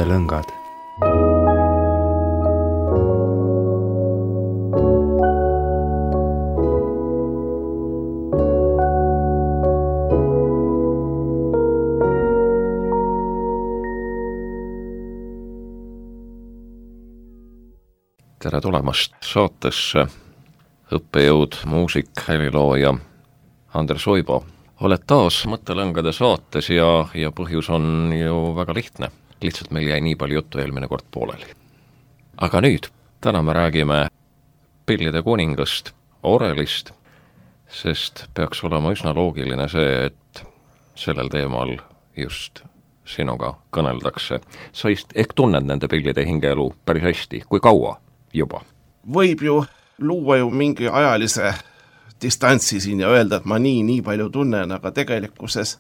mõttelõngad. Tere tulemast saatesse, õppejõud, muusik, helilooja Andres Uibo. Oled taas mõttelõngade saates ja põhjus on ju väga lihtne. Lihtsalt meil jäi nii palju juttu eelmine kord pooleli. Aga nüüd, täna me räägime pillide kuningast, orelist, sest peaks olema üsna loogiline see, et sellel teemal just sinuga kõneldakse. Sa ehk tunned nende pillide hingeelu päris hästi, kui kaua juba? Võib ju luua ju mingi ajalise distantsi siin ja öelda, et ma nii palju tunnen, aga tegelikkuses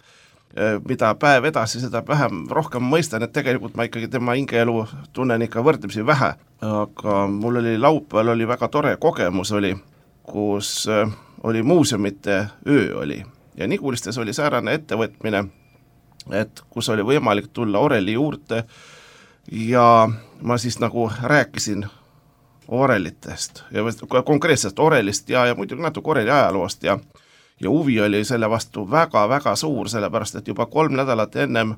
mida päev edasi, seda vähem rohkem mõistan, et tegelikult ma ikkagi tema hingeelu tunnen ikka võrdlemisi vähe. Aga mul oli laupäeval oli väga tore kogemus oli, kus oli muuseumite öö oli. Ja Nigulistes oli säärane ettevõtmine, et kus oli võimalik tulla oreli juurde ja ma siis nagu rääkisin orelitest ja konkreetsest orelist ja muidugi natuke oreli ajaloost ja huvi oli selle vastu väga suur, sellepärast et juba 3 nädalat ennem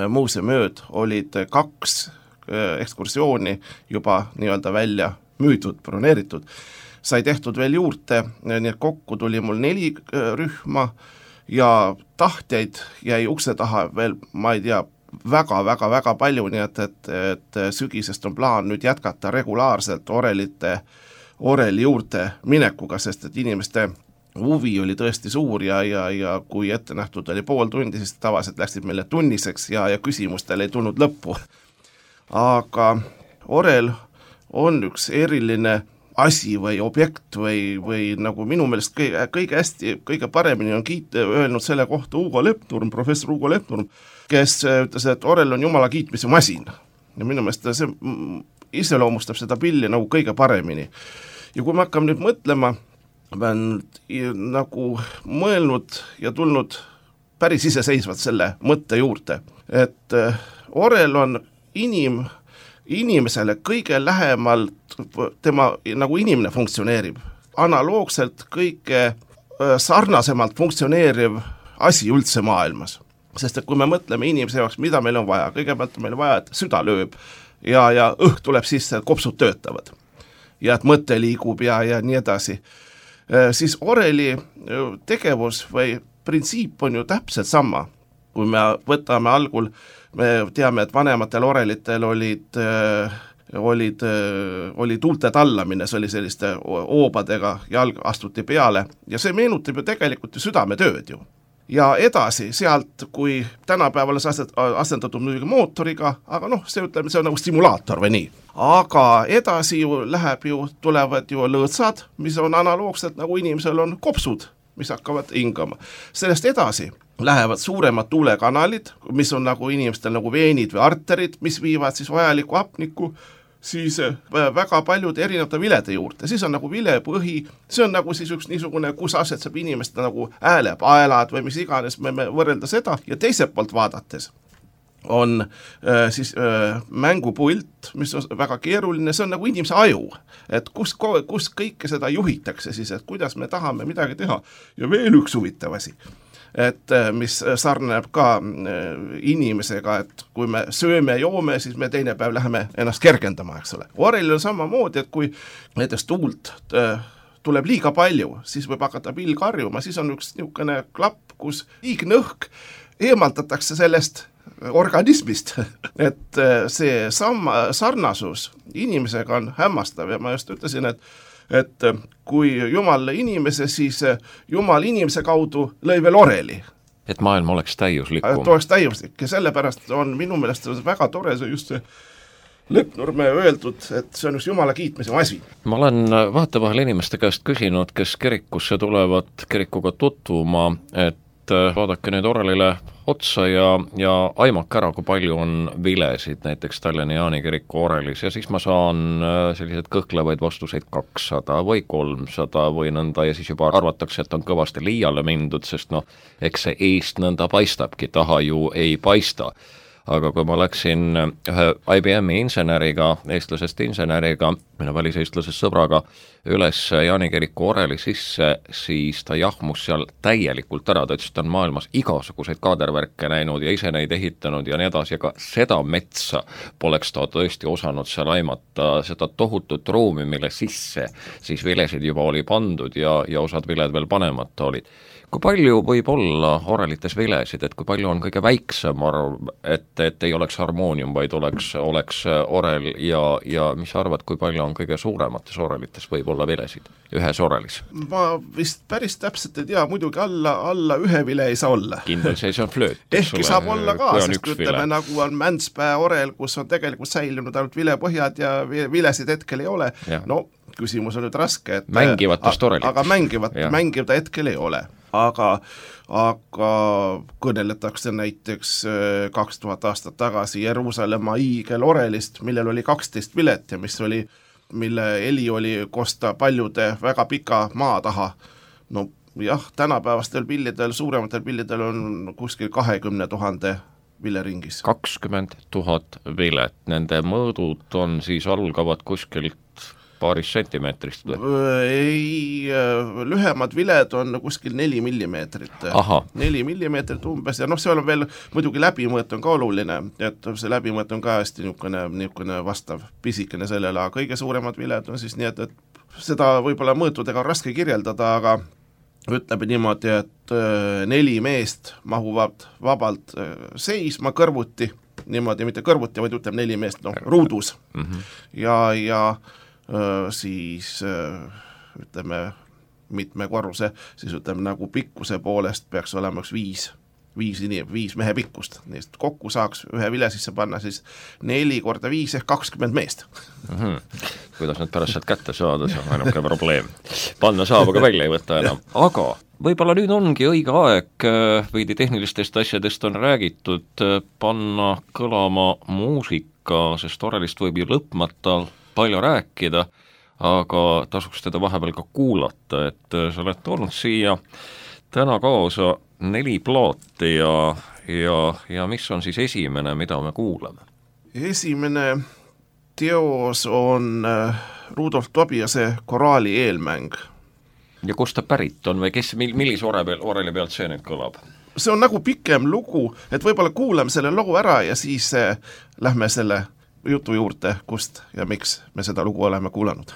muuseumööd olid 2 ekskursiooni juba nii-öelda välja müüdud, broneeritud. Sai tehtud veel juurde, nii et kokku tuli mul 4 rühma ja tahtjaid jäi ukse taha veel, ma ei tea, väga palju, nii et sügisest on plaan nüüd jätkata regulaarselt oreli juurde minekuga, sest et inimeste huvi oli tõesti suur ja kui ette nähtud oli pool tundi, siis tavaliselt läksid meile tunniseks ja küsimustel ei tulnud lõppu. Aga orel on üks eriline asi või objekt või nagu minu meelest kõige paremini on öelnud selle kohta professor Hugo Lepnurm, kes ütles, et orel on jumala kiitmise masin. Ja minu meelest see iseloomustab seda pilli nagu kõige paremini. Ja kui me hakkame nüüd mõtlema, ma olen nagu mõelnud ja tulnud päris iseseisvalt selle mõtte juurde, et orel on inimesele kõige lähemalt tema nagu inimene funktsioneerib, analoogselt kõige sarnasemalt funktsioneeriv asi üldse maailmas. Sest et kui me mõtleme inimese jaoks, mida meil on vaja, kõigepealt on meil vaja, et süda lööb ja õhk tuleb sisse, et kopsud töötavad ja et mõte liigub ja nii edasi. Siis oreli tegevus või printsiip on ju täpselt sama. Kui me võtame algul, me teame, et vanematel orelitel oli tuulte tallamine, see oli selliste oobadega jalg astuti peale ja see meenutab ju tegelikult ju südametööd ju. Ja edasi sealt, kui tänapäeval asendatud muidugi mootoriga, aga see on nagu stimulaator või nii. Aga edasi tulevad ju lõõtsad, mis on analoogselt nagu inimesel on kopsud, mis hakkavad hingama. Sellest edasi lähevad suuremad tuulekanalid, mis on nagu inimestel nagu veenid või arterid, mis viivad siis vajaliku hapniku siis väga paljude erinevate vilede juurde. Siis on nagu vilepõhi, see on nagu siis üks niisugune, kus asetseb inimeste nagu häälepaelad või mis iganes, me võrrelda seda. Ja teiselt poolt vaadates on siis mängupult, mis on väga keeruline, see on nagu inimese aju, et kus kõike seda juhitakse siis, et kuidas me tahame midagi teha. Ja veel üks huvitav asi, et mis sarneb ka inimesega, et kui me sööme ja joome, siis me teine päev läheme ennast kergendama, eks ole. Orelil on samamoodi, et kui näiteks tuult tuleb liiga palju, siis võib hakata pill karjuma, siis on üks niisugune klapp, kus liigne õhk eemaldatakse sellest organismist, et see sarnasus inimesega on hämmastav ja ma just ütlesin, et kui Jumal inimese, siis Jumal inimese kaudu lõi veel oreli. Et maailm oleks täiuslikum. Et oleks täiuslik ja sellepärast on minu meelest väga tore see just see Lepnurme öeldud, et see on just Jumala kiitmise asi. Ma olen vahetevahel inimeste käest küsinud, kes kirikusse tulevad kirikuga tutvuma, et vaadake nüüd orelile otsa ja aimake ära, kui palju on vilesid näiteks Tallinna Jaani kiriku orelis ja siis ma saan sellised kõhklevaid vastuseid 200 või 300 või nõnda ja siis juba arvatakse, et on kõvasti liiale mindud, sest eks see eest nõnda paistabki, taha ju ei paista. aga kui ma läksin ühe IBM-i inseneriga, eestlasest inseneriga, minu väliseestlasest sõbraga, üles Jaani kiriku oreli sisse, siis ta jahmus seal täielikult ära, ta ütles, et ta on maailmas igasuguseid kaadervärke näinud ja ise neid ehitanud ja nii edasi, aga seda metsa poleks ta tõesti osanud seal aimata, seda tohutut ruumi, mille sisse siis vilesid juba oli pandud ja osad viled veel panemata olid. Kui palju võib olla orelites vilesid, et kui palju on kõige väiksem arv, et ei oleks harmoonium, vaid oleks orel ja mis sa arvad, kui palju on kõige suuremates orelites võib olla vilesid ühes orelis? Ma vist päris täpselt ei tea, muidugi alla ühe vile ei saa olla. Kindel see on flööt. Ehkki saab olla ka, sest ütleme nagu on Mändspää orel, kus on tegelikult säilinud ainult vilepõhjad ja vilesid hetkel ei ole. Ja. No küsimus on nüüd raske, et mängivatest orelitest. Aga mängivata hetkel ei ole. Aga kõneletakse näiteks 2000 aastat tagasi Jeruusalemma hiigelorelist, millel oli 12 vilet ja mille heli oli kosta paljude väga pika maa taha. No jah, tänapäevastel pillidel, suurematel pillidel on kuskil 20 000 vileringis. 20 000 vilet, nende mõõdud on siis algavad kuskilt paaris sentimeetrist või? Ei, lühemad viled on kuskil 4 millimeetrit. 4 millimeetrit umbes ja seal on veel muidugi läbimõõt on ka oluline, et see läbimõõt on ka hästi niisugune vastav pisikene sellele, aga kõige suuremad viled on siis nii, et seda võib-olla mõõtudega on raske kirjeldada, aga ütleme niimoodi, et 4 meest mahuvad vabalt seisma kõrvuti, niimoodi mitte kõrvuti, vaid ütleme 4 meest ruudus ja siis ütleme mitme korruse, siis ütleme nagu pikkuse poolest peaks olema üks 5 mehe pikkust, neist kokku saaks ühe vile sisse panna siis 4 × 5 ehk 20 meest. Kuidas nad pärast sealt kätte saada, see on ainuke probleem. Panna saab, aga välja ei võtta enam. Aga võib-olla nüüd ongi õige aeg, veidi tehnilistest asjadest on räägitud, panna kõlama muusika, sest orelist võib ju lõpmata palju rääkida, aga tasuks teda vahepeal ka kuulata, et sa oled toonud siia täna kaasa 4 plaati ja mis on siis esimene, mida me kuulame? Esimene teos on Rudolf Tobiase Koraali eelmäng. Ja kust ta pärit on või millise oreli pealt see nüüd kõlab? See on nagu pikem lugu, et võib-olla kuulame selle loo ära ja siis lähme selle jutu juurde, kust ja miks me seda lugu oleme kuulanud.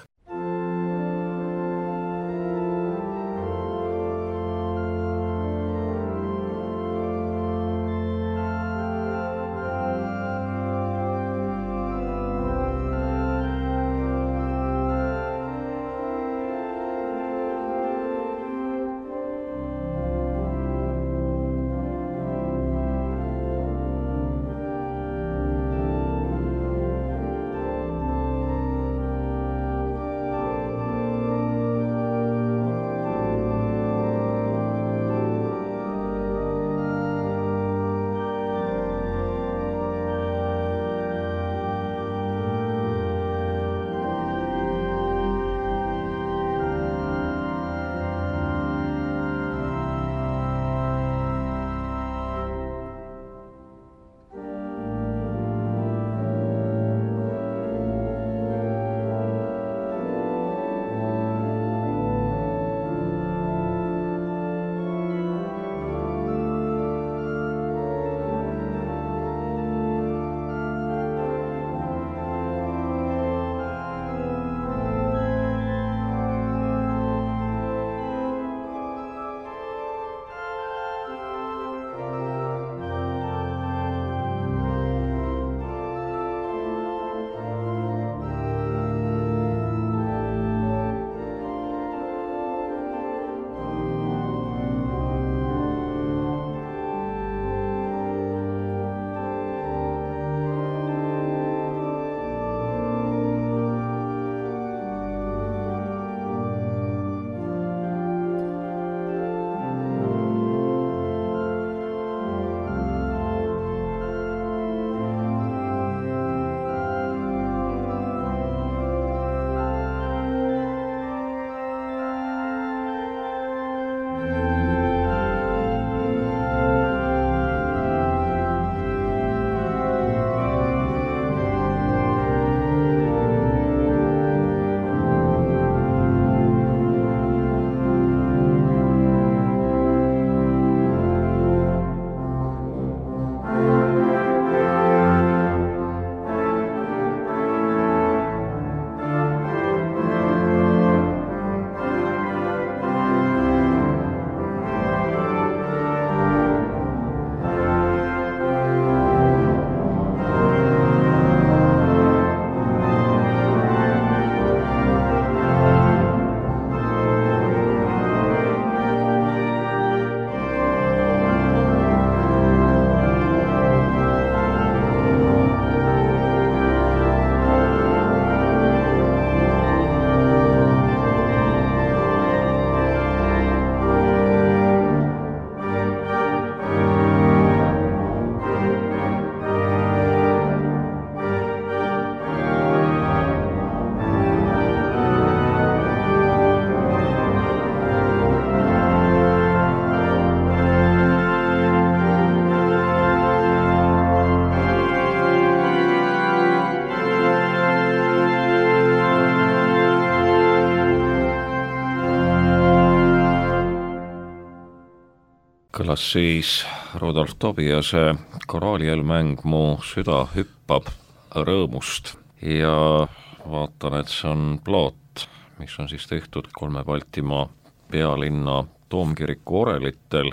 kõlas siis Rudolf Tobiase koraalielmäng Mu süda hüppab rõõmust ja vaatan, et see on plaat, mis on siis tehtud 3 Baltimaa pealinna toomkiriku orelitel,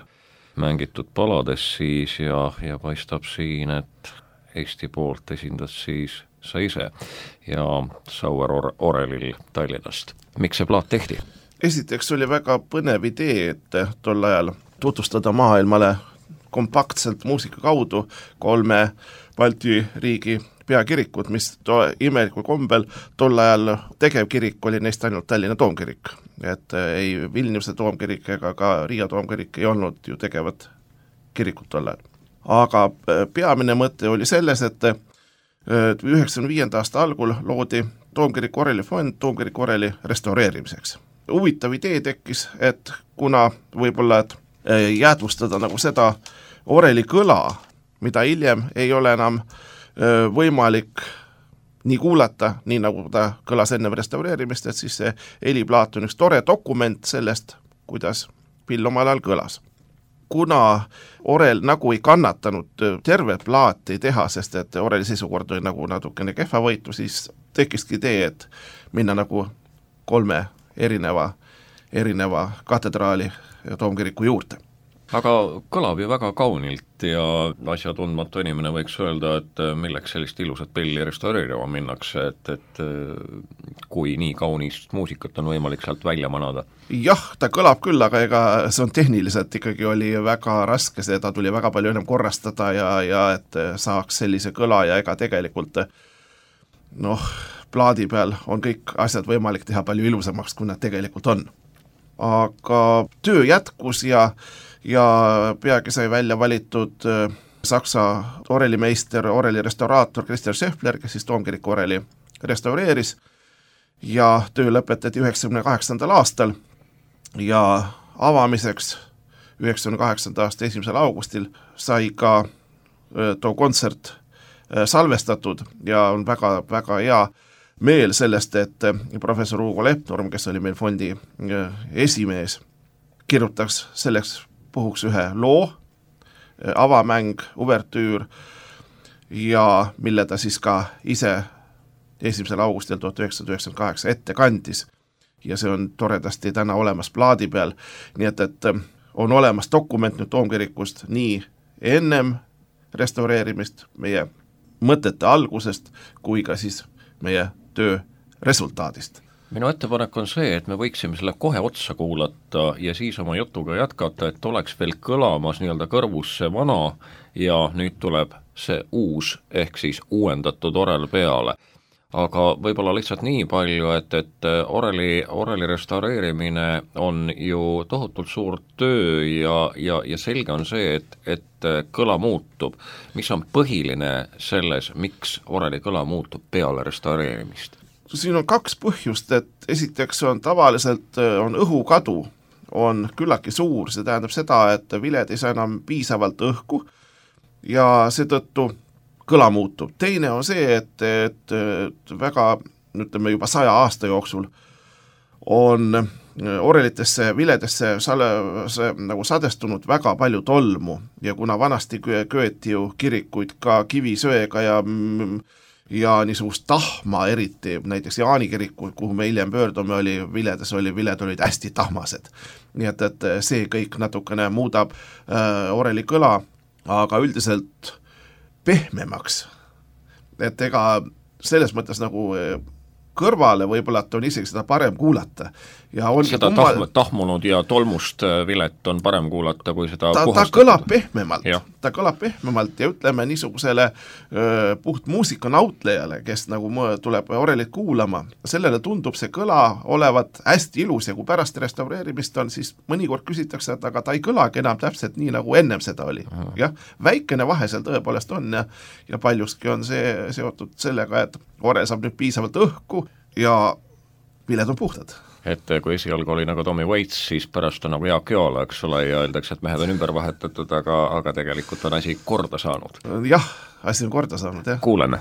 mängitud palades siis ja paistab siin, et Eesti poolt esindas siis sa ise ja Sauer orelil Tallinnast. Miks see plaat tehti? Esiteks oli väga põnev idee, et tol ajal tutvustada maailmale kompaktselt muusika kaudu 3 Balti riigi peakirikut, mis imelikul kombel tol ajal tegevkirik oli neist ainult Tallinna toomkirik. Et ei Vilniuse toomkirik ega ka Riia toomkirik ei olnud ju tegevad kirikut tol ajal. Aga peamine mõte oli selles, et 1995. aasta algul loodi toomkiriku orelifond toomkiriku oreli restaureerimiseks. Huvitav idee tekkis, et kuna võib-olla jäädvustada nagu seda oreli kõla, mida hiljem ei ole enam võimalik nii kuulata, nii nagu ta kõlas enne restaureerimist, et siis see heliplaat on üks tore dokument sellest, kuidas pill omal ajal kõlas. Kuna orel nagu ei kannatanud tervet plaati teha, sest et oreli seisukord oli nagu natukene kehvavõitu, siis tekkiski idee, et minna nagu 3 erineva katedraali ja toomkiriku juurde. Aga kõlab ju väga kaunilt ja asjatundmatu inimene võiks öelda, et milleks sellist ilusat pilli restaureerima minnakse, et kui nii kaunist muusikat on võimalik sealt välja manada. Jah, ta kõlab küll, aga ega see on tehniliselt ikkagi oli väga raske, seda tuli väga palju enam korrastada ja et saaks sellise kõla ja ega tegelikult plaadi peal on kõik asjad võimalik teha palju ilusamaks, kui nad tegelikult on. Aga töö jätkus ja peagi sai välja valitud Saksa orelimeister, orelirestauraator Christian Scheffler, kes siis toomkiriku oreli restaureeris ja töö lõpetati 1998. aastal ja avamiseks 1998. aasta 1. augustil sai ka too kontsert salvestatud ja on väga, väga hea meel sellest, et professor Hugo Lepnurm, kes oli meil fondi esimees, kirjutaks selleks puhuks ühe loo, avamäng, uvertüür ja mille ta siis ka ise 1. augustil 1998 ette kandis. Ja see on toredasti täna olemas plaadi peal, nii et on olemas dokument nüüd toomkirikust nii ennem restaureerimist meie mõtete algusest kui ka siis meie töö resultaadist. Minu ettepanek on see, et me võiksime selle kohe otsa kuulata ja siis oma jutuga jätkata, et oleks veel kõlamas nii-öelda kõrvus see vana ja nüüd tuleb see uus ehk siis uuendatud orel peale. Aga võib-olla lihtsalt nii palju, et oreli restaureerimine on ju tohutult suur töö ja selge on see, et kõla muutub. Mis on põhiline selles, miks oreli kõla muutub peale restaureerimist? Siin on 2 põhjust, et esiteks on tavaliselt õhukadu on küllaki suur, see tähendab seda, et viled ei saa enam piisavalt õhku ja seetõttu kõla muutub. Teine on see, et väga, ütleme juba 100 aasta jooksul on orelitesse, viledesse nagu sadestunud väga palju tolmu ja kuna vanasti köeti ju kirikuid ka kivisöega ja niisugust tahma eriti, näiteks Jaani kiriku, kuhu me hiljem pöördume, viled olid hästi tahmased. Nii et see kõik natukene muudab oreli kõla, aga üldiselt pehmemaks. Et ega selles mõttes nagu kõrvale võib-olla, et on isegi seda parem kuulata. Ja on seda tahmunud ja tolmust vilet on parem kuulata, kui seda puhastatud. Ta kõlab pehmemalt ja ütleme niisugusele puht muusikanautlijale, kes nagu tuleb orelit kuulama. Sellele tundub see kõla olevat hästi ilus ja kui pärast restaureerimist on, siis mõnikord küsitakse, et aga ta ei kõlagi enam täpselt nii, nagu ennem seda oli. Jah, väikene vahe seal tõepoolest on ja paljuski on see seotud sellega, et orel saab nüüd piisavalt õhku ja viled on puhtad. Et kui esialgu oli nagu Tommy Waits, siis pärast on nagu Jaak Joala, eks ole, ja öeldakse, et mehed on ümber vahetatud, aga tegelikult on asi korda saanud. Jah, asi on korda saanud, jah. Kuuleme.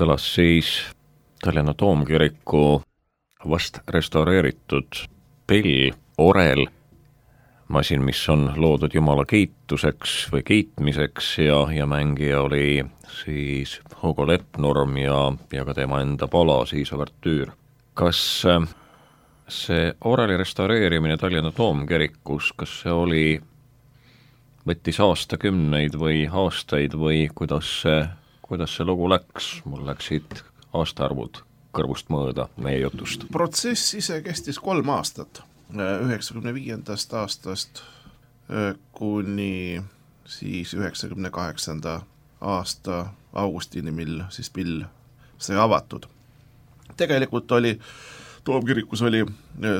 kõlas siis Tallinna Toomkiriku vast restaureeritud pill, orel, masin, mis on loodud Jumala kiituseks või kiitmiseks ja mängija oli siis Hugo Lepnurm ja ka tema enda pala, siis Ouvertüür. Kas see oreli restaureerimine Tallinna Toomkirikus, kas see võttis aastakümneid või aastaid või kuidas see lugu läks? Mul läksid aastaarvud kõrvust mööda meie jutust. Protsess ise kestis 3 aastat, 95. aastast kuni siis 98. aasta augustini, mil siis pill sai avatud. Tegelikult oli Toomkirikus oli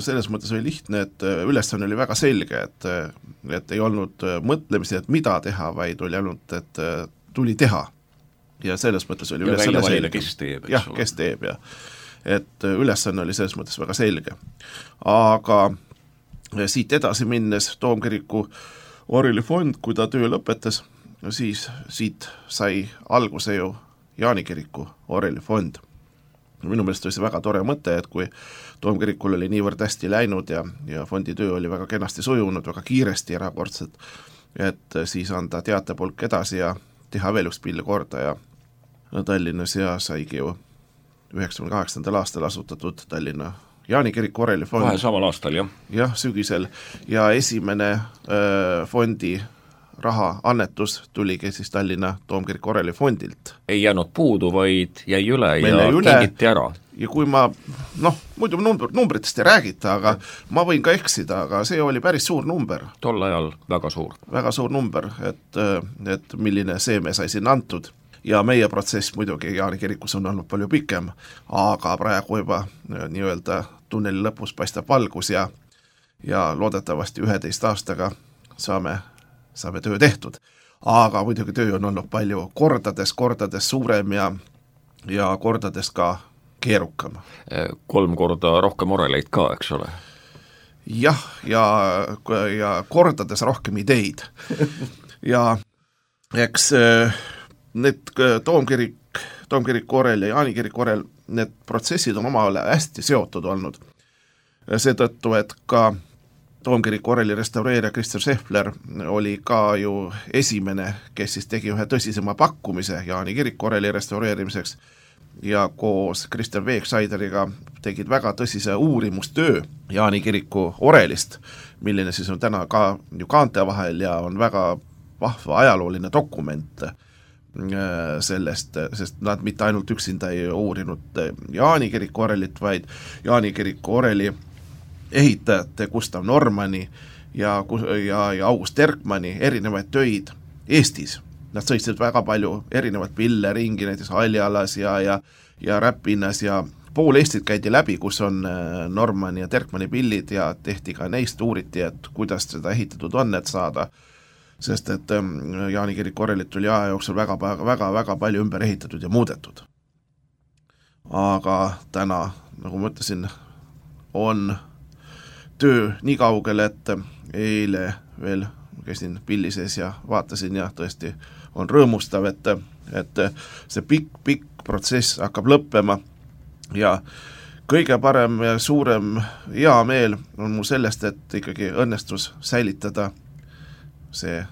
selles mõttes oli lihtne, et ülesanne oli väga selge, et ei olnud mõtlemisi, et mida teha, vaid oli ainult, et tuli teha. Ja selles mõttes oli ülesanne selge. Kes teeb, jah, kes teeb, jah. Et ülesanne oli selles mõttes väga selge. Aga siit edasi minnes Toomkiriku orelifond, kui ta töö lõpetas, siis siit sai alguse ju Jaani kiriku orelifond. Minu meelest oli see väga tore mõte, et kui Toomkirikul oli niivõrd hästi läinud ja fondi töö oli väga kenasti sujunud, väga kiiresti erakordselt, et siis anda teatepulk edasi ja teha veel üks pill korda ja Tallinnas ja saigi ju 98. aastal asutatud Tallinna Jaani kiriku orelifond. Kohe samal aastal, jah? Jah, sügisel. Ja esimene fondi raha annetus tuligi siis Tallinna Toomkiriku orelifondilt. Ei jäänud puudu, vaid jäi üle ja kingiti ära. Ja kui ma, muidu numbritest ei räägita, aga ma võin ka eksida, aga see oli päris suur number. Tol ajal väga suur. Väga suur number, et milline seeme sai sinna antud. Ja meie protsess muidugi Jaani kirikus on olnud palju pikem, aga praegu juba nii-öelda tunneli lõpus paistab valgus ja loodetavasti 11 aastaga saame töö tehtud. Aga muidugi töö on olnud palju kordades suurem ja kordades ka keerukam. 3 korda rohkem oreleid ka, eks ole? Jah, ja kordades rohkem ideid. Ja eks need Toomkiriku orel ja Jaani kiriku orel, need protsessid on omavahel hästi seotud olnud. Seetõttu, et ka Toomkiriku oreli restaureerija Christian Scheffler oli ka ju esimene, kes siis tegi ühe tõsisema pakkumise Jaani kiriku oreli restaureerimiseks ja koos Christian Wegscheideriga tegid väga tõsise uurimustöö Jaani kiriku orelist, milline siis on täna ka ju kaante vahel ja on väga vahva ajalooline dokument sellest, sest nad mitte ainult üksinda ei uurinud Jaani kiriku orelit, vaid Jaani kiriku oreli ehitajate Gustav Normani ja August Erkmani erinevaid töid Eestis. Nad sõitsid väga palju erinevat pille ringi, näiteks Haljalas ja Räpinnas ja pool Eestit käidi läbi, kus on Normani ja Erkmani pillid ja tehti ka neist uuriti, et kuidas seda ehitatud on, et saada, sest et Jaani kiriku orelit oli aja jooksul väga palju ümber ehitatud ja muudetud. Aga täna, nagu ma ütlesin, on töö nii kaugel, et eile veel käisin pilli sees ja vaatasin ja tõesti on rõõmustav, et see pikk protsess hakkab lõppema ja kõige parem ja suurem hea meel on mul sellest, et ikkagi õnnestus säilitada see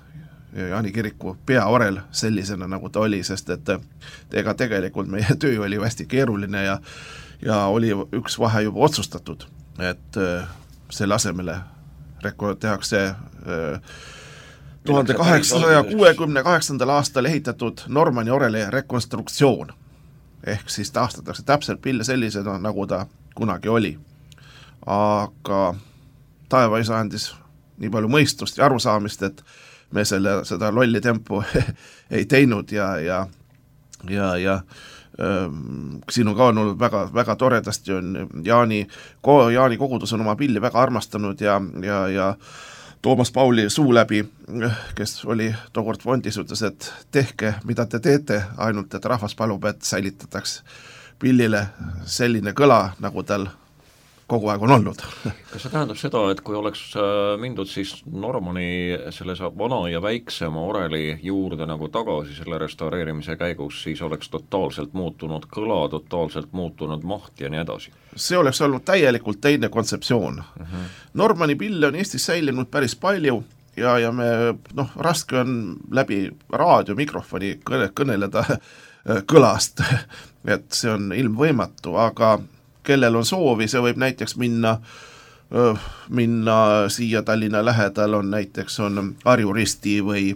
Jaani kiriku peaorel sellisena, nagu ta oli, sest et ega tegelikult meie töö oli hästi keeruline ja oli üks vahe juba otsustatud, et selle asemele tehakse 1868. aastal ehitatud Normani oreli rekonstruktsioon. Ehk siis taastatakse täpselt pille sellisena, nagu ta kunagi oli. Aga taevaisa andis nii palju mõistust ja arusaamist, et me seda lolli tempu ei teinud ja siin on ka olnud väga toredasti on Jaani kogudus on oma pilli väga armastanud ja Toomas Pauli suu läbi, kes oli tookord fondis, ütles, et tehke, mida te teete, ainult et rahvas palub, et säilitataks pillile selline kõla, nagu tal kogu aeg on olnud. Kas see tähendab seda, et kui oleks mindud siis Normani selle vana ja väiksema oreli juurde nagu tagasi selle restaureerimise käigus, siis oleks totaalselt muutunud kõla, totaalselt muutunud maht ja nii edasi? See oleks olnud täielikult teine kontseptsioon. Normani pille on Eestis säilinud päris palju ja me, raske on läbi raadiomikrofoni kõneleda kõlast, et see on ilmvõimatu, aga kellel on soovi, see võib näiteks minna siia Tallinna lähedal on näiteks on Harju Risti või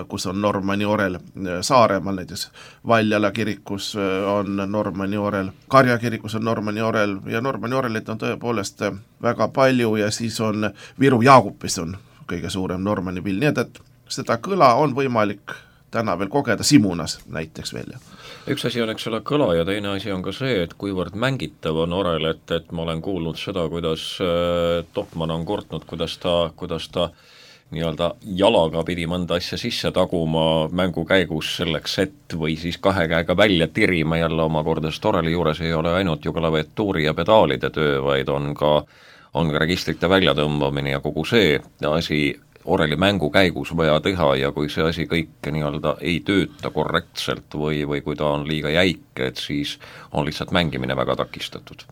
kus on Normani orel, Saaremaal näiteks Valjala kirikus on Normani orel, Karja kirikus on Normani orel ja Normani orelit on tõepoolest väga palju ja siis on Viru Jaagupis on kõige suurem Normani pill, nii et seda kõla on võimalik täna veel kogeda Simunas näiteks veel. Üks asi on, eks ole, kõla ja teine asi on ka see, et kuivõrd mängitav on orel, et ma olen kuulnud seda, kuidas Topman on kurtnud, kuidas ta nii-öelda jalaga pidi mõnda asja sisse taguma mängu käigus selleks, et või siis kahe käega välja tirima jälle omakorda, sest oreli juures ei ole ainult ju klaviatuuri ja pedaalide töö, vaid on ka registrite väljatõmbamine ja kogu see asi oreli mängu käigus vaja teha ja kui see asi kõik nii-öelda ei tööta korrektselt või kui ta on liiga jäik, et siis on lihtsalt mängimine väga takistatud.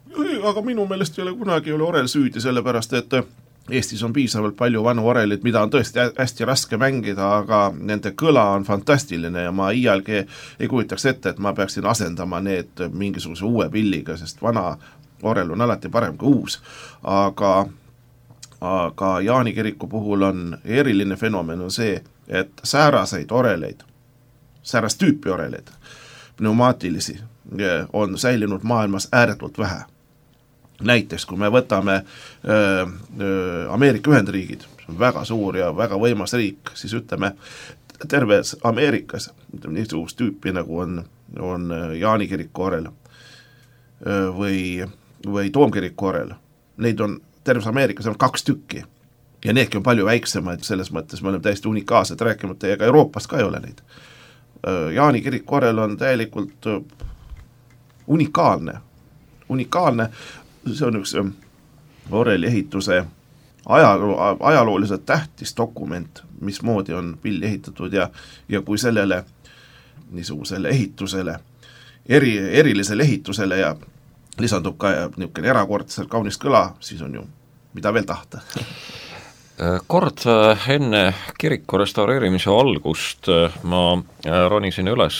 Aga minu meelest kunagi ei ole orel süüdi, sellepärast et Eestis on piisavalt palju vanu orelid, mida on tõesti hästi raske mängida, aga nende kõla on fantastiline ja ma iialgi ei kujutaks ette, et ma peaksin asendama need mingisuguse uue pilliga, sest vana orel on alati parem kui uus, aga Jaani kiriku puhul on eriline fenomen on see, et sääraseid oreleid, säärast tüüpi oreleid, pneumaatilisi, on säilinud maailmas ääretult vähe. Näiteks, kui me võtame Ameerika Ühendriigid, see on väga suur ja väga võimas riik, siis ütleme, terves Ameerikas niisugust tüüpi nagu on Jaani kiriku orel või Toomkiriku orel, neid on terves Ameerikas on 2 tükki ja needki on palju väiksemaid, selles mõttes me oleme täiesti unikaalsed, rääkimata ja ka Euroopas ka ei ole neid. Jaani kiriku orel on täielikult unikaalne, see on üks oreli ehituse ajalooliselt tähtis dokument, mismoodi on pill ehitatud ja kui sellele niisugusele ehitusele, erilisele ehitusele ja lisandub ka niisugune erakordselt kaunis kõla, siis on ju mida veel tahta. Kord enne kiriku restaureerimise algust ma ronisin üles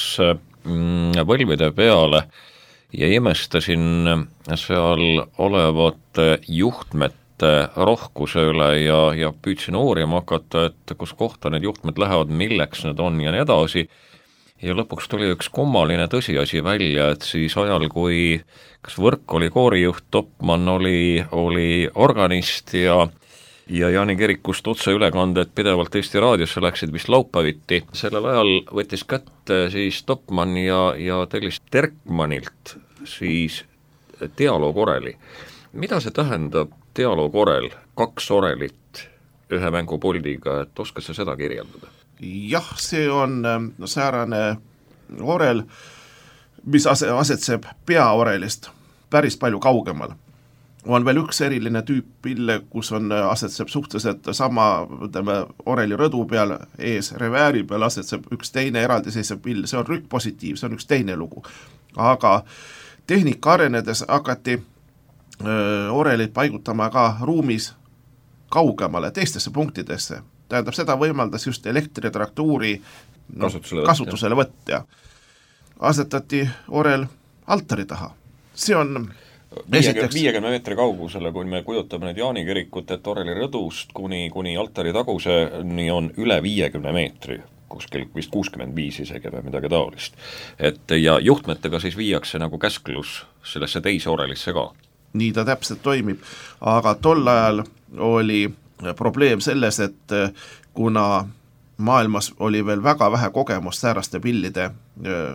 võlvide peale ja imestasin seal olevate juhtmete rohkuse üle ja püüdsin uurima hakata, et kus kohta need juhtmed lähevad, milleks need on ja nii edasi. Ja lõpuks tuli üks kummaline tõsiasi välja, et siis ajal, kui kas Võrk oli koorijuht, Topman oli organist ja Jaani kirikust otseülekanded pidevalt Eesti raadiosse läksid vist laupäeviti. Sellel ajal võttis kätte siis Topman ja tellis Terkmanilt siis dialoogoreli. Mida see tähendab dialoogorel, 2 orelit ühe mängupuldiga, et oskad sa seda kirjeldada? Jah, see on säärane orel, mis asetseb peaorelist päris palju kaugemal. On veel üks eriline tüüp pille, kus asetseb suhteliselt sama oreli rõdu peal, ees revääri peal asetseb üks teine eraldiseisev pill, see on rükkpositiiv, see on üks teine lugu. Aga tehnika arenedes hakati orelid paigutama ka ruumis kaugemale, teistesse punktidesse. Tähendab, seda võimaldas just elektritraktuuri kasutusele võtta. Asetati orel altari taha. See on 50 meetri kaugusele, kui me kujutame need Jaani kirikut, et oreli rõdust kuni altari taguseni on üle 50 meetri, kuskil vist 65 isegi või midagi taolist. Ja juhtmetega siis viiakse nagu käsklus sellesse teise orelisse ka. Nii ta täpselt toimib, aga tol ajal oli probleem selles, et kuna maailmas oli veel väga vähe kogemust sääraste pillide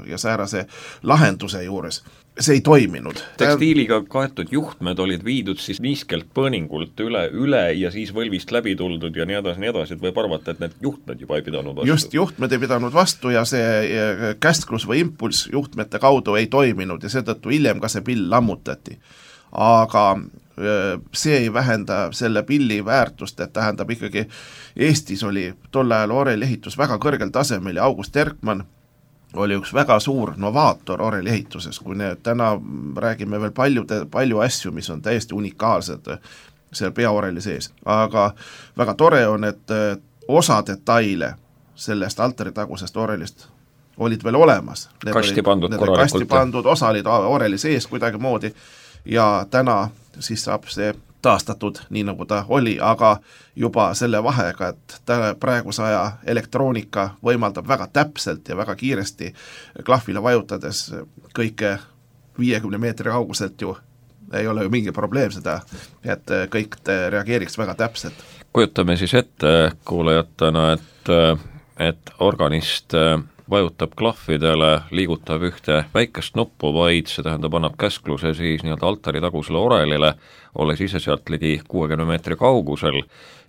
ja säärase lahenduse juures, see ei toiminud. Tekstiiliga kaetud juhtmed olid viidud siis niiskelt põõningult üle ja siis võlvist läbi tuldud ja nii edasi, et võib arvata, et need juhtmed juba ei pidanud vastu. Just, juhtmed ei pidanud vastu ja see käsklus või impulss juhtmete kaudu ei toiminud ja seetõttu hiljem ka see pill lammutati. Aga see ei vähenda selle pilli väärtust, et tähendab ikkagi Eestis oli tol ajal oreliehitus väga kõrgel tasemel ja August Erkmann oli üks väga suur novaator oreliehituses, kui täna räägime veel palju asju, mis on täiesti unikaalsed seal peaoreli sees. Aga väga tore on, et osa detaile sellest altaritagusest orelist olid veel olemas. Kasti pandud korralikult. Kasti pandud, osa olid oreli sees kuidagi moodi ja täna siis saab see taastatud nii nagu ta oli, aga juba selle vahega, et praeguse aja elektroonika võimaldab väga täpselt ja väga kiiresti klahvile vajutades kõike 50 meetri kauguselt ju ei ole ju mingi probleem seda, et kõik reageeriks väga täpselt. Kujutame siis ette kuulajatena, et organist vajutab klahvidele, liigutab ühte väikest nuppu, vaid see tähendab, annab käskluse siis nii-öelda altari tagusele orelile, olles ise sealt ligi 60 meetri kaugusel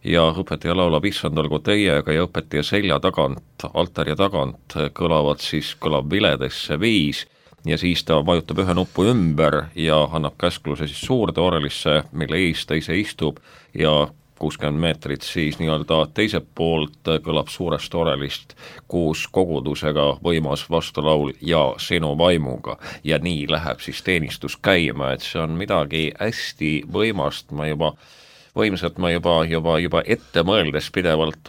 ja õpetaja laulab issand olgu teiega ja õpetaja selja tagant, altari tagant kõlab viledesse 5 ja siis ta vajutab ühe nupu ümber ja annab käskluse siis suurde orelisse, mille ees ta ise istub ja 60 meetrit siis nii-öelda teiselt poolt kõlab suurest orelist koos kogudusega võimas vastulaul ja sinu vaimuga ja nii läheb siis teenistus käima, et see on midagi hästi võimast, ma juba ette mõeldes pidevalt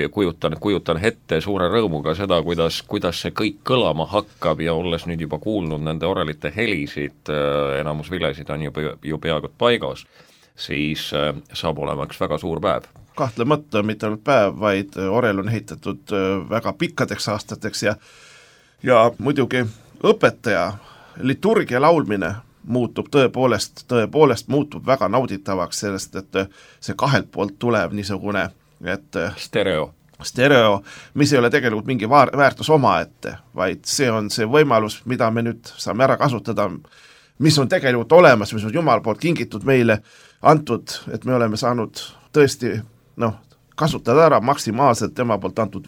kujutan ette suure rõõmuga seda, kuidas see kõik kõlama hakkab ja olles nüüd juba kuulnud nende orelite helisid, enamus vilesid on ju peaaegu paigas, siis saab olema üks väga suur päev. Kahtlemata mitte ainult päev, vaid orel on ehitatud väga pikkadeks aastateks ja muidugi õpetaja liturgia laulmine muutub tõepoolest muutub väga nauditavaks sellest, et see kahelt poolt tulev niisugune stereo, mis ei ole tegelikult mingi väärtus omaette, vaid see on see võimalus, mida me nüüd saame ära kasutada, mis on tegelikult olemas, mis on Jumal poolt kingitud meile antud, et me oleme saanud tõesti kasutada ära maksimaalselt tema poolt antud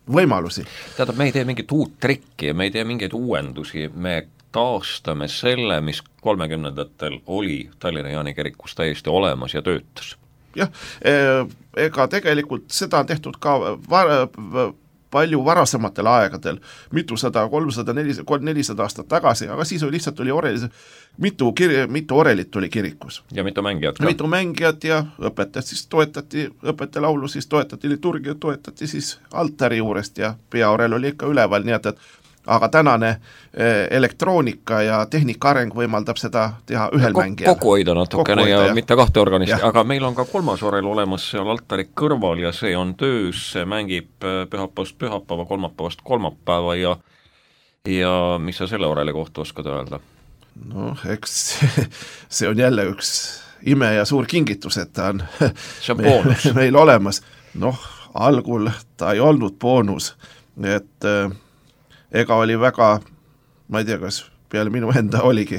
võimalusi. Tähendab, me ei tee mingit uut trikki, me ei tee mingeid uuendusi, me taastame selle, mis 30-ndatel oli Tallinna Jaani kirikus täiesti olemas ja töötas. Jah, ega tegelikult seda on tehtud ka palju varasematel aegadel, mitusada, 300, 400 aastat tagasi, aga siis lihtsalt oli mitu orelit oli kirikus. Ja mitu mängijat ka. Mitu mängijat ja õpetajat siis toetati, õpetajalaulu siis toetati, liturgia toetati siis altari juurest ja peaorel oli ikka üleval, nii et aga tänane elektroonika ja tehnika areng võimaldab seda teha ühel mängijal. Kokku hoida natukene ja mitte kahte organisti, aga meil on ka kolmas orel olemas seal altari kõrval ja see on töös, see mängib pühapäevast pühapäeva, kolmapäevast kolmapäeva ja mis sa selle oreli kohta oskad öelda? Eks see on jälle üks ime ja suur kingitus, et ta on meil olemas. Algul ta ei olnud boonus, et ega oli väga, ma ei tea, kas peale minu enda oligi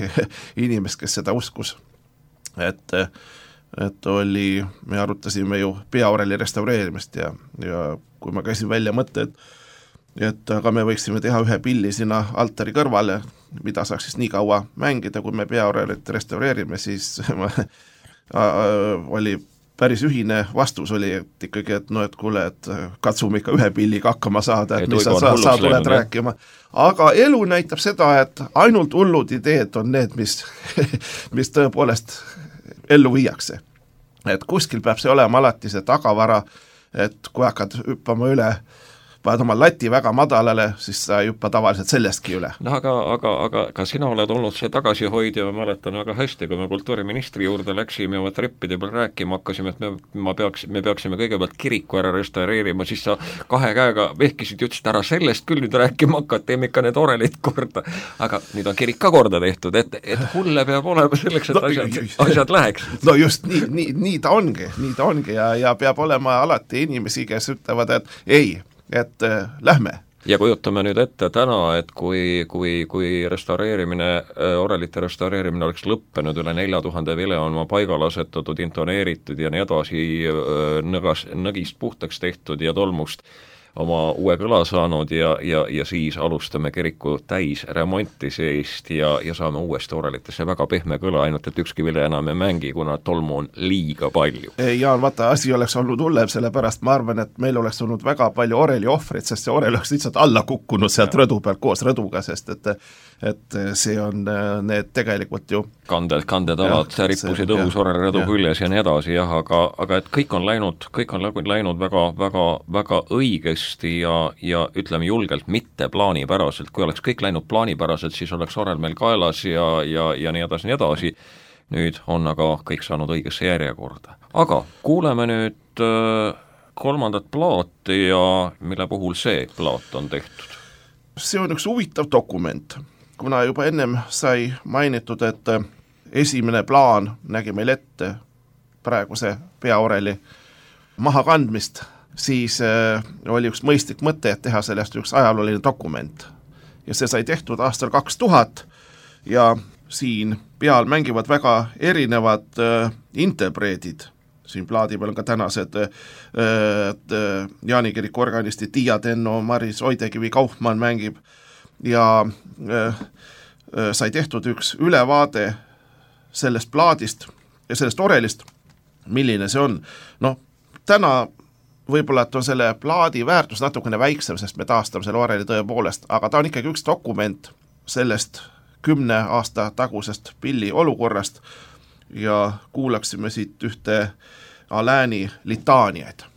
inimest, kes seda uskus, et oli, me arutasime ju peaoreli restaureerimist ja kui ma käisin välja mõtte, et aga me võiksime teha ühe pilli sinna altari kõrvale, mida saaks siis nii kaua mängida, kui me peaorelit restaureerime, siis oli päris ühine vastus oli, et ikkagi, et kuule, et katsume ikka ühe pilliga hakkama saada, et mis sa tuled rääkima. Aga elu näitab seda, et ainult hullud ideed on need, mis tõepoolest ellu viiakse. Et kuskil peab see olema alati see tagavara, et kui hakkad hüppama üle, paned oma lati väga madalale, siis sa hüppa tavaliselt sellestki üle. Aga sina oled olnud see tagasihoidja, ma mäletan väga hästi, kui me kultuuriministri juurde läksime ja trippide peal rääkima hakkasime, et me peaksime kõigepealt kiriku ära restaureerima, siis sa 2 käega vehkisid, ütlesid ära sellest küll nüüd rääkima hakka, teeme ikka need orelid korda. Aga nüüd on kirik ka korda tehtud, et hulle peab olema selleks, et asjad läheks. No just nii ta ongi ja peab olema alati inimesi, kes ütlevad, et ei, et lähme. Ja kujutame nüüd ette täna, et kui restaureerimine, orelite restaureerimine oleks lõppenud, üle 4000 vile on oma paigal asetatud, intoneeritud ja nii edasi nõgist puhtaks tehtud ja tolmust oma uue kõla saanud ja siis alustame kiriku täis remonti seest ja saame uuesti orelitesse väga pehme kõla, ainult et ükski vile enam ei mängi, kuna tolmu on liiga palju. Jaan, vaata, asi oleks olnud hullem, sellepärast ma arvan, et meil oleks olnud väga palju oreli ohvrid, sest see orel oleks lihtsalt alla kukkunud sealt rõdu pealt koos rõduga, sest et see on need tegelikult ju kandetalad rippusid õhus orelrõdu küljes ja nii edasi, jah, aga et kõik on läinud väga õigesti ja ütleme julgelt mitte plaanipäraselt. Kui oleks kõik läinud plaanipäraselt, siis oleks orel meil kaelas ja nii edasi. Nüüd on aga kõik saanud õigesse järjekorda. Aga kuuleme nüüd kolmandat plaati ja mille puhul see plaat on tehtud? See on üks huvitav dokument, kuna juba ennem sai mainitud, et esimene plaan nägi meil ette praeguse peaoreli mahakandmist, siis oli üks mõistlik mõte, et teha sellest üks ajalooline dokument. Ja see sai tehtud aastal 2000 ja siin peal mängivad väga erinevad interpreedid. Siin plaadi peal on ka tänased Jaani kiriku organistid Tiia Tenno, Maris Oidekivi, Kaufmann mängib ja sai tehtud üks ülevaade sellest plaadist ja sellest orelist, milline see on. Täna võib-olla, et on selle plaadi väärtus natukene väiksem, sest me taastame selle oreli tõepoolest, aga ta on ikkagi üks dokument sellest 10 aasta tagusest pilli olukorrast ja kuulaksime siit ühte Alääni litaaniaid.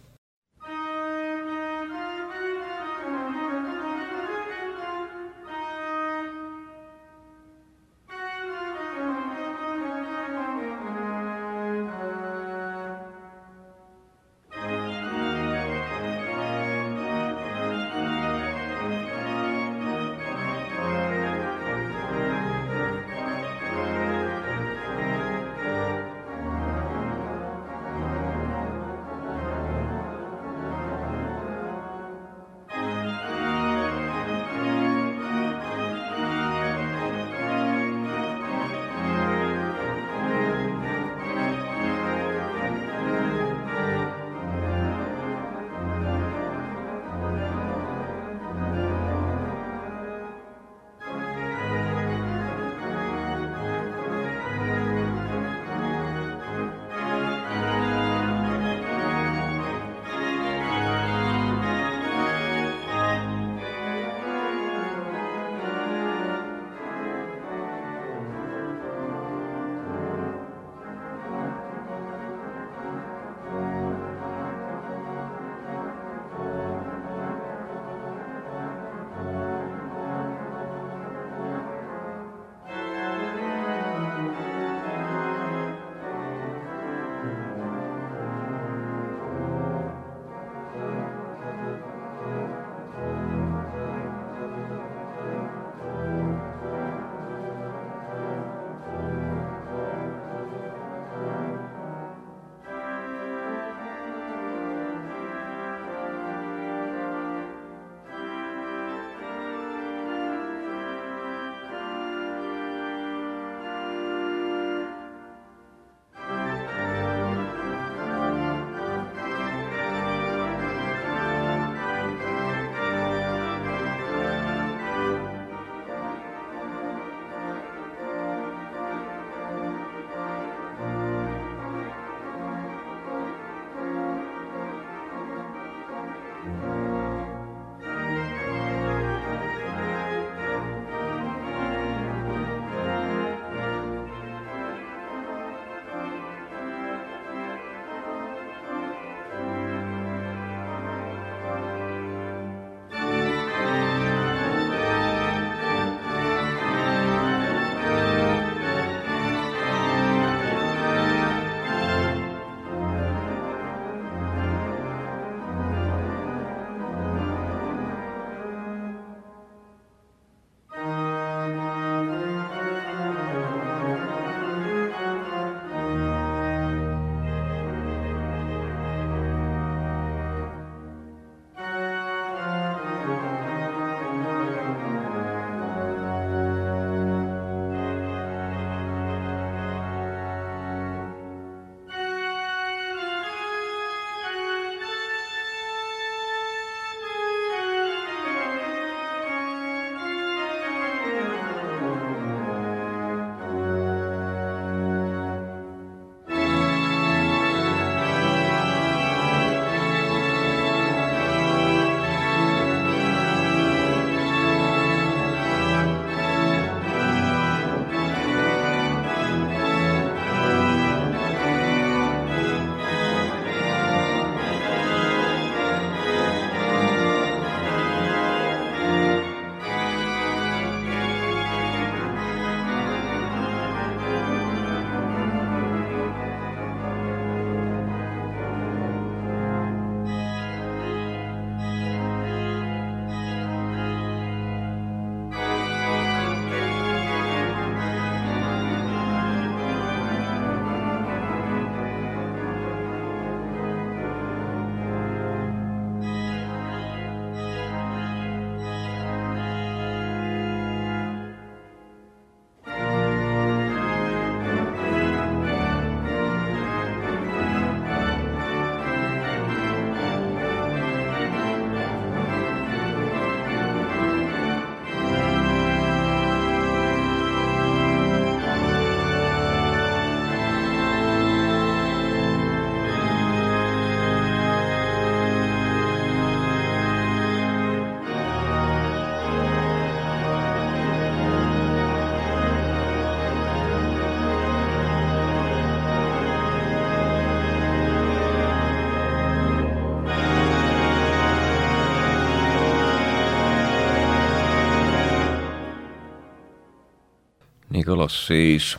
nii kõlas siis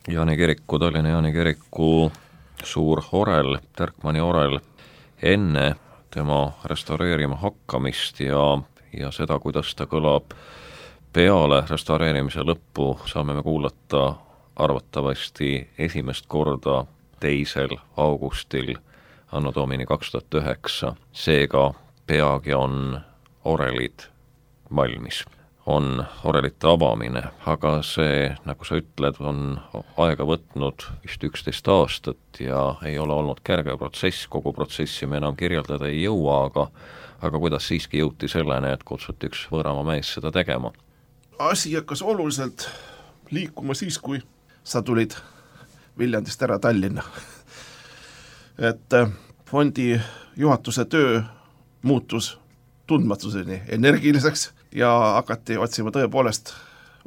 Tallinna Jaani kiriku suur orel, Terkmanni orel, enne tema restaureerima hakkamist ja seda, kuidas ta kõlab peale restaureerimise lõppu, saame me kuulata arvatavasti esimest korda 2. augustil anno domini 2009, seega peagi on orelid valmis. On orelite avamine, aga see, nagu sa ütled, on aega võtnud vist 11 aastat ja ei ole olnud kerge protsess, kogu protsessi me enam kirjeldada ei jõua, aga kuidas siiski jõuti selleni, et kutsuti üks võõramaa mees seda tegema? Asi hakkas oluliselt liikuma siis, kui sa tulid Viljandist ära Tallinna. Et fondi juhatuse töö muutus tundmatuseni energiliseks ja hakati otsima tõepoolest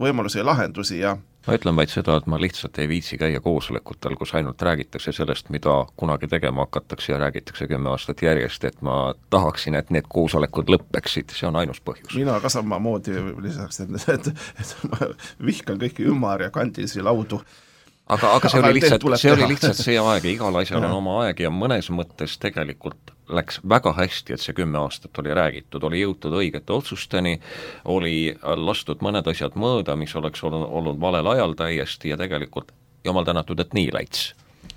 võimalusi ja lahendusi ja ma ütlen vaid seda, et ma lihtsalt ei viitsi käia koosolekutel, kus ainult räägitakse sellest, mida kunagi tegema hakatakse ja räägitakse 10 aastat järjest, et ma tahaksin, et need koosolekud lõppeksid, see on ainus põhjus. Mina ka samamoodi lisaks, et ma vihkan kõiki ümar ja kandilisi laudu. Aga see oli lihtsalt see aeg ja igal asjal on oma aeg ja mõnes mõttes tegelikult läks väga hästi, et see 10 aastat oli räägitud, oli jõutud õigete otsusteni, oli lastud mõned asjad mööda, mis oleks olnud valel ajal täiesti ja tegelikult jumal tänatud, et nii läits.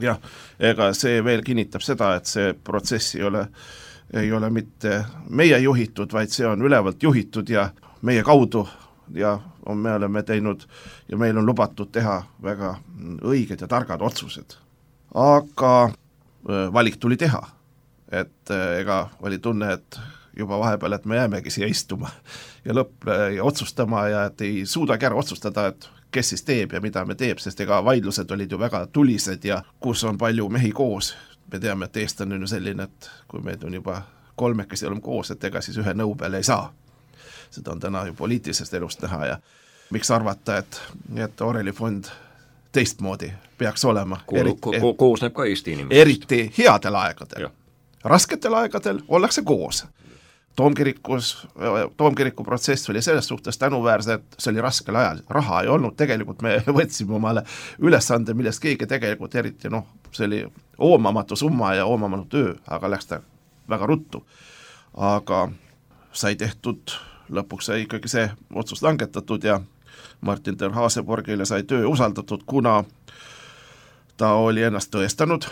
Jah, ega see veel kinnitab seda, et see protsess ei ole mitte meie juhitud, vaid see on ülevalt juhitud ja meie kaudu ja me oleme teinud ja meil on lubatud teha väga õiged ja targad otsused. Aga valik tuli teha, et ega oli tunne, et juba vahepeal, et me jäämegi siia istuma ja ja otsustama ja et ei suudagi ära otsustada, et kes siis teeb ja mida me teeb, sest ega vaidlused olid ju väga tulised ja kus on palju mehi koos. Me teame, et eestlane on ju selline, et kui meid on juba 3 oleme koos, et ega siis ühe nõu peale ei saa. Seda on täna ju poliitilisest elust näha ja miks arvata, et Oreli fond teistmoodi peaks olema. Koosneb ka Eesti inimesest. Eriti headel aegadel. Rasketel aegadel ollakse koos. Toomkiriku protsess oli selles suhtes tänuväärse, et see oli raskel ajal. Raha ei olnud, tegelikult me võtsime omale ülesande, millest keegi tegelikult eriti, see oli oomamatu summa ja oomamatu töö, aga läks ta väga ruttu. Aga sai tehtud, lõpuks sai ikkagi see otsus langetatud ja Martin ter Haaseborgile sai töö usaldatud, kuna ta oli ennast tõestanud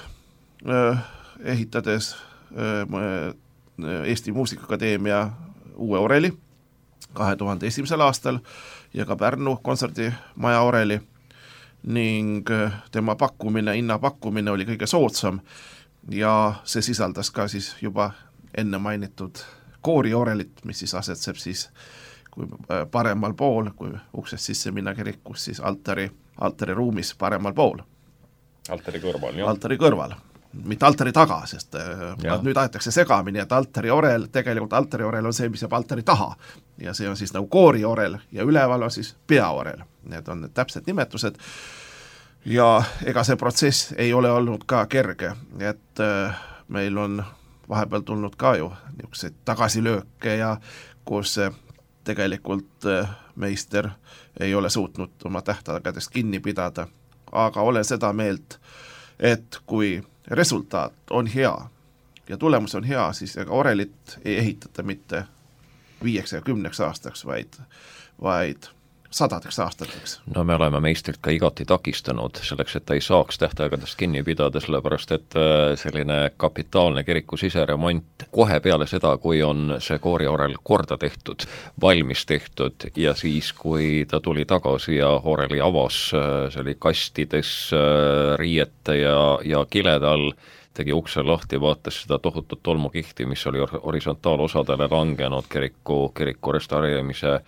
ehitades Eesti Muusikaakadeemia uue oreli 2001. aastal ja ka Pärnu kontserdimaja oreli ning tema hinnapakkumine oli kõige soodsam ja see sisaldas ka siis juba enne mainitud kooriorelit, mis siis asetseb siis kui paremal pool, kui uksest sisse minna kirikus, siis altari ruumis paremal pool. Altari kõrval, jah? Altari kõrval. Mitte altari taga, sest nüüd aetakse segamini, et tegelikult altari orel on see, mis jääb altari taha ja see on siis nagu kooriorel ja üleval on siis peaorel. Need on need täpsed nimetused ja ega see protsess ei ole olnud ka kerge, et meil on vahepeal tulnud ka ju niisuguseid tagasilööke ja kus tegelikult meister ei ole suutnud oma tähtaegadest kinni pidada, aga olen seda meelt, et kui resultaat on hea ja tulemus on hea, siis ega orelit ei ehitata mitte 5 ja 10 aastaks, vaid 100 aastateks. No me oleme meistrit ka igati takistanud selleks, et ta ei saaks tähtaegadest kinni pidada, sellepärast et selline kapitaalne kiriku siseremont kohe peale seda, kui on see kooriorel korda tehtud, valmis tehtud ja siis, kui ta tuli tagasi ja oreli avas, see oli kastides, riiete ja kilede all, tegi ukse lahti, vaatas seda tohutut tolmukihti, mis oli horisontaalosadele langenud kiriku restaureerimise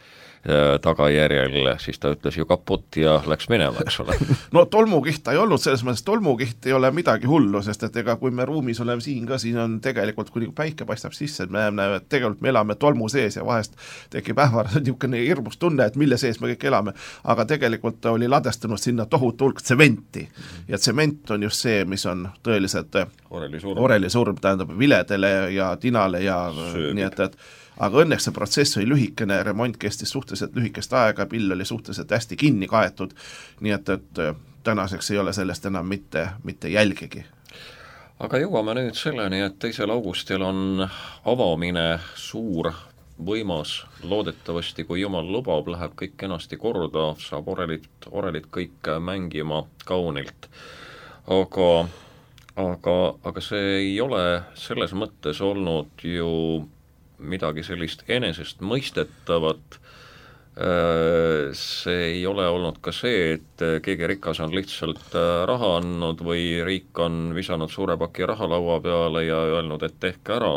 tagajärjel, siis ta ütles ju kaput ja läks minema, eks ole. No tolmukiht ei olnud, selles mõttes tolmukiht ei ole midagi hullu, sest et ega kui me ruumis oleme siin ka, siin on tegelikult, kui päike paistab sisse, et me näeme, et tegelikult me elame tolmu sees ja vahest tekib niisugune hirmus tunne, et mille sees me kõik elame, aga tegelikult oli ladestanud sinna tohutu hulk tsementi ja tsement on just see, mis on tõeliselt oreli surm, tähendab viledele ja tinale ja sööbib. Nii et aga õnneks see protsess oli lühikene, remont kestis suhteliselt lühikest aega, pill oli suhteliselt hästi kinni kaetud, nii et tänaseks ei ole sellest enam mitte jälgigi. Aga jõuame nüüd selleni, et 2. augustil on avamine suur, võimas, loodetavasti, kui jumal lubab, läheb kõik kenasti korda, saab orelit kõik mängima kaunilt. Aga see ei ole selles mõttes olnud ju midagi sellist enesest mõistetavat. See ei ole olnud ka see, et keegi rikas on lihtsalt raha andnud või riik on visanud suure paki raha laua peale ja öelnud, et tehke ära,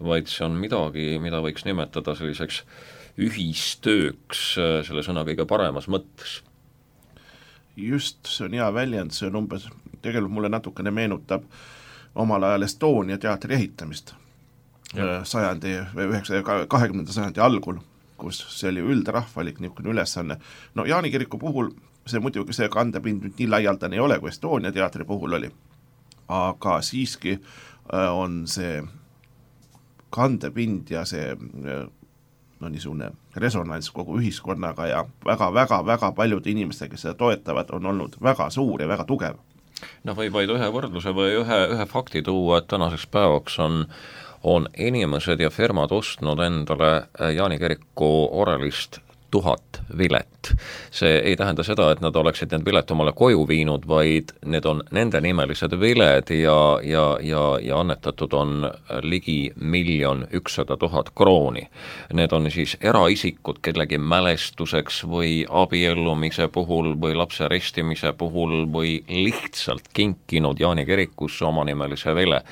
vaid see on midagi, mida võiks nimetada selliseks ühistööks selle sõna kõige paremas mõttes. Just, see on hea väljend, see on umbes, tegelikult mulle natukene meenutab omal ajal Estonia teatri ehitamist 20. sajandi algul, kus see oli üldrahvalik niisugune ülesanne. No Jaani kiriku puhul see muidugi see kandepind nüüd nii laialdane ei ole, kui Estonia teatri puhul oli, aga siiski on see kandepind ja see niisugune resonants kogu ühiskonnaga ja väga paljude inimestega, kes seda toetavad, on olnud väga suur ja väga tugev. Võib vaid ühe võrdluse või ühe fakti tuua, et tänaseks päevaks on inimesed ja firmad ostnud endale Jaani kiriku orelist 1000 vilet. See ei tähenda seda, et nad oleksid need vilet omale koju viinud, vaid need on nende nimelised viled ja annetatud on ligi 1 100 000 krooni. Need on siis eraisikud kellegi mälestuseks või abiellumise puhul või lapse ristimise puhul või lihtsalt kinkinud Jaani kirikusse omanimelise vile.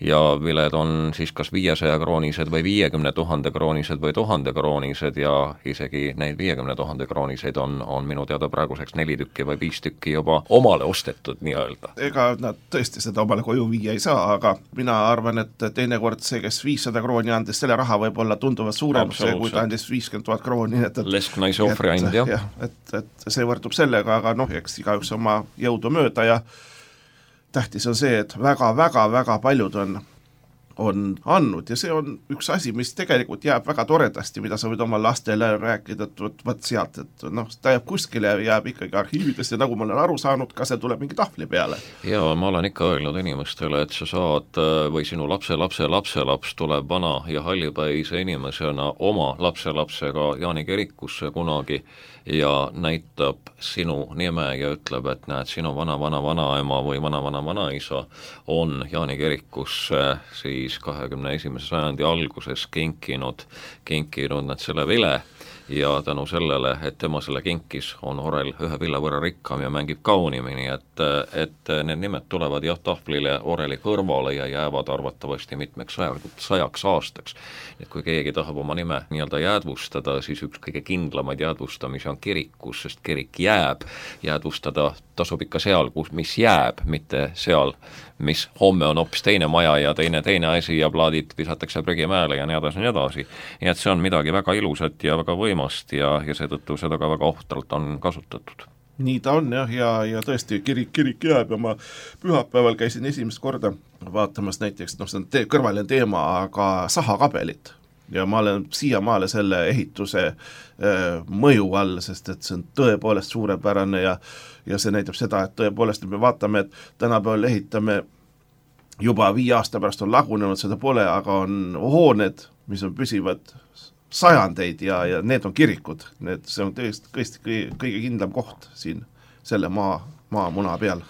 Ja viled on siis kas 500 kroonised või 50 000 kroonised või 1000 kroonised ja isegi neid 50 000 krooniseid on minu teada praeguseks 4 tükki või 5 tükki juba omale ostetud nii-öelda. Ega nad tõesti seda omale koju viia ei saa, aga mina arvan, et teinekord see, kes 500 krooni andis, selle raha võib olla tunduvalt suurem, see, kui ta andis 50 000 krooni. Lesknaise ohvriandja. Et see võrdub sellega, aga eks igaüks oma jõudu mööda ja tähtis on see, et väga paljud on andnud ja see on üks asi, mis tegelikult jääb väga toredasti, mida sa võid oma lastele rääkida, et võt sealt, et ta jääb kuskile ja jääb ikkagi arhiividesse, nagu ma olen aru saanud, ka see tuleb mingi tahvli peale. Ja ma olen ikka öelnud inimestele, et sa saad või sinu lapselaps tuleb vana ja hallipäise inimesena oma lapselapsega Jaani kirikusse kunagi ja näitab sinu nime ja ütleb, et näed, sinu vanaema või vanaisa on Jaani kirikusse siis 21. sajandi alguses kinkinud nad selle vile ja tänu sellele, et tema selle kinkis, on orel ühe villa võrra rikkam ja mängib kaunimini, et need nimed tulevad jah tahvlile oreli kõrvale ja jäävad arvatavasti mitmeks sajaks aastaks. Et kui keegi tahab oma nime nii-öelda jäädvustada, siis üks kõige kindlamaid jäädvustamisi on kirikus, sest kirik jääb, jäädvustada tasub ikka seal, mis jääb, mitte seal, mis homme on hoopis teine maja ja teine asi ja plaadid visatakse prügimäele ja nii edasi. Nii et see on midagi väga ilusat ja väga võimast ja seetõttu seda ka väga ohtralt on kasutatud. Nii ta on ja tõesti kirik jääb ja ma pühapäeval käisin esimest korda vaatamas näiteks, see on kõrvaline teema, aga sahakabelit. Ja ma olen siiamaale selle ehituse mõju all, sest et see on tõepoolest suurepärane ja see näitab seda, et tõepoolest me vaatame, et tänapäeval ehitame juba 5 aasta pärast on lagunenud, seda pole, aga on hooned, mis on püsivad sajandeid ja need on kirikud. See on tõesti kõige kindlam koht siin selle maamuna peal.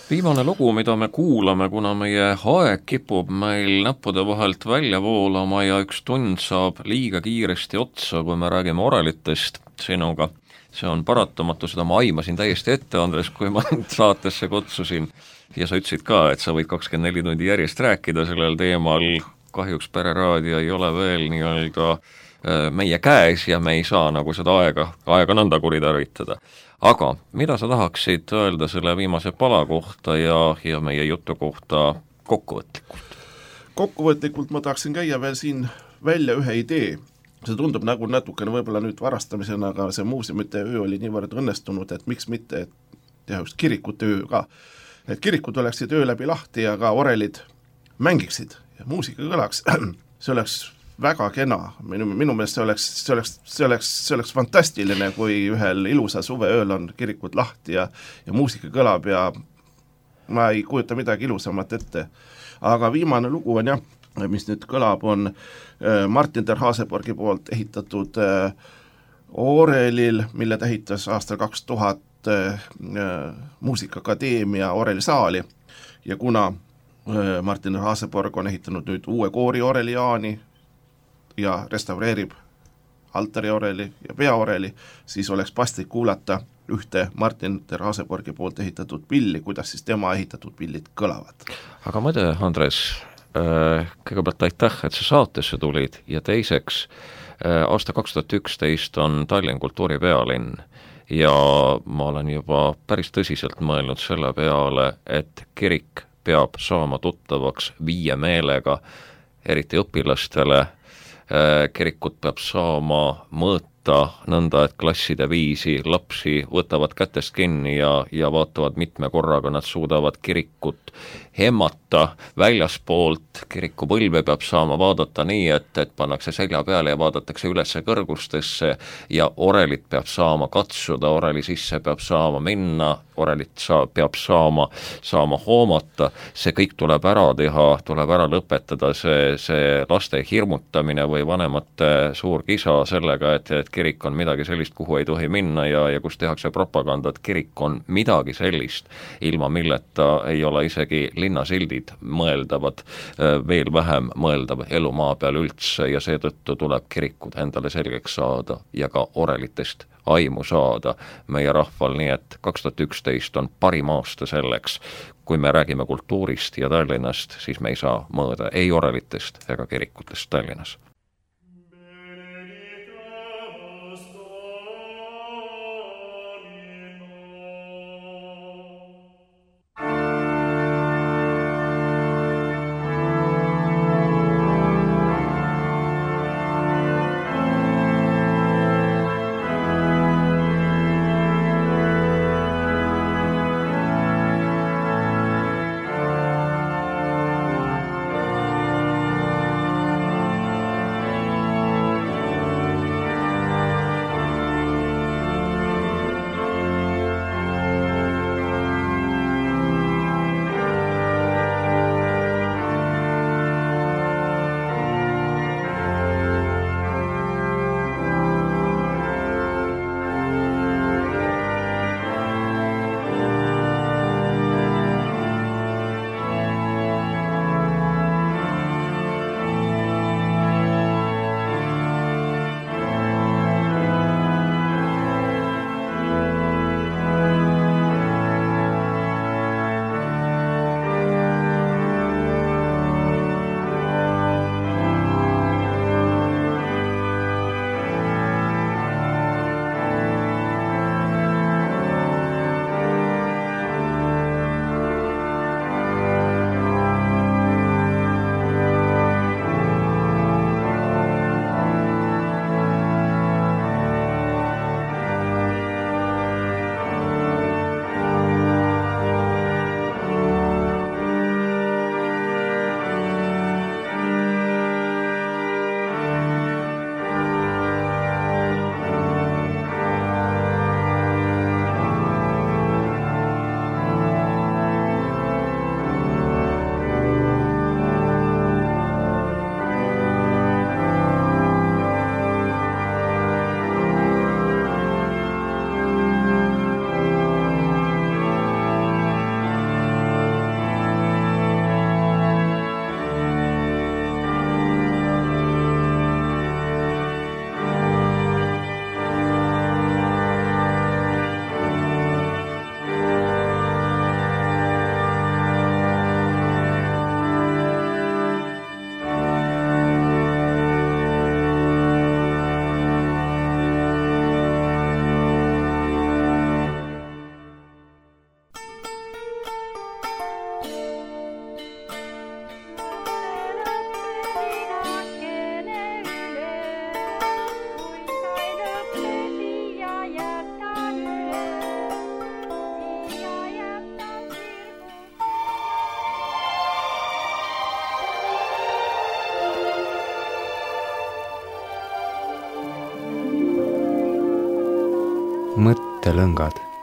Viimane lugu, mida me kuulame, kuna meie aeg kipub meil näppude vahelt välja voolama ja üks tund saab liiga kiiresti otsa, kui me räägime orelitest sinuga. See on paratamatu, seda ma aimasin täiesti ette, Andres, kui ma saatesse kutsusin ja sa ütlesid ka, et sa võid 24 tundi järjest rääkida sellel teemal. Kahjuks Pereraadio ei ole veel nii-öelda meie käes ja me ei saa nagu seda aega nõnda kuritarvitada. Aga mida sa tahaksid öelda selle viimase pala kohta ja meie jutu kohta kokkuvõtlikult? Kokkuvõtlikult ma tahaksin käia veel siin välja ühe idee. See tundub nagu natukene võib-olla nüüd varastamisena, aga see muuseumite öö oli niivõrd õnnestunud, et miks mitte teha just kirikute öö ka. Et kirikud oleksid öö läbi lahti ja ka orelid mängiksid ja muusika kõlaks. See oleks väga kena, minu meelest see oleks fantastiline, kui ühel ilusa suveööl on kirikud lahti ja muusika kõlab ja ma ei kujuta midagi ilusamat ette. Aga viimane lugu on jah, mis nüüd kõlab, on Martin der Haseborgi poolt ehitatud Orelil, mille ta ehitas aastal 2000 Muusikaakadeemia Oreli saali ja kuna Martin der Haseborg on ehitanud nüüd uue koori Oreli Jaani ja restaureerib altari Oreli ja peaoreli, siis oleks paslik kuulata ühte Martin der Haseborgi poolt ehitatud pilli, kuidas siis tema ehitatud pillid kõlavad. Aga mõte, Andres, kõigepealt aitäh, et sa saatesse tulid ja teiseks, aasta 2011 on Tallinn kultuuripealinn ja ma olen juba päris tõsiselt mõelnud selle peale, et kirik peab saama tuttavaks viiemeelega, eriti õpilastele, kirikut peab saama mõõta nõnda, et klasside viisi lapsi võtavad kätest kinni ja vaatavad mitme korraga, nad suudavad kirikut hemmata väljaspoolt, kirikupõlve peab saama vaadata nii, et pannakse selja peale ja vaadatakse ülesse kõrgustesse ja orelit peab saama katsuda, oreli sisse peab saama minna, orelit peab saama hoomata, see kõik tuleb ära teha, tuleb ära lõpetada see laste hirmutamine või vanemate suur kisa sellega, et kirik on midagi sellist, kuhu ei tohi minna ja kus tehakse propaganda, et kirik on midagi sellist, ilma milleta ei ole isegi linnasildid mõeldavad, veel vähem mõeldav elu maa peal üldse ja seetõttu tuleb kirikud endale selgeks saada ja ka orelitest aimu saada meie rahval, nii et 2011 on parim aasta selleks, kui me räägime kultuurist ja Tallinnast, siis me ei saa mõõda ei orelitest ega kirikutest Tallinnas. mõttelõngad.